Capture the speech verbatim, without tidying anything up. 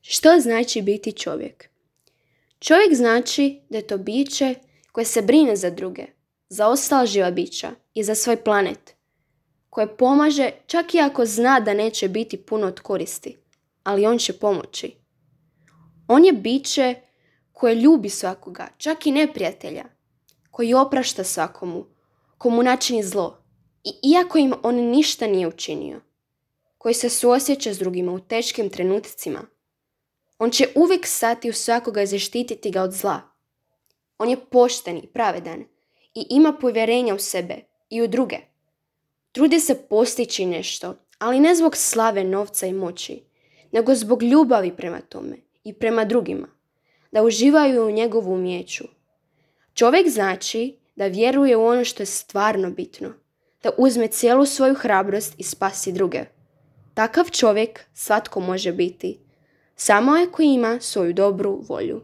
Što znači biti čovjek? Čovjek znači da je to biće koje se brine za druge, za ostala živa bića i za svoj planet, koje pomaže čak i ako zna da neće biti puno od koristi, ali on će pomoći. On je biće koje ljubi svakoga, čak i neprijatelja, koji oprašta svakomu, komu načini zlo, i iako im on ništa nije učinio, koji se suosjeća s drugima u teškim trenucima. On će uvijek stati u svakoga i zaštititi ga od zla. On je pošten i pravedan i ima povjerenja u sebe i u druge. Trudi se postići nešto, ali ne zbog slave, novca i moći, nego zbog ljubavi prema tome i prema drugima, da uživaju u njegovu umijeću. Čovjek znači da vjeruje u ono što je stvarno bitno, da uzme cijelu svoju hrabrost i spasi druge. Takav čovjek svatko može biti, samo ako ima svoju dobru volju.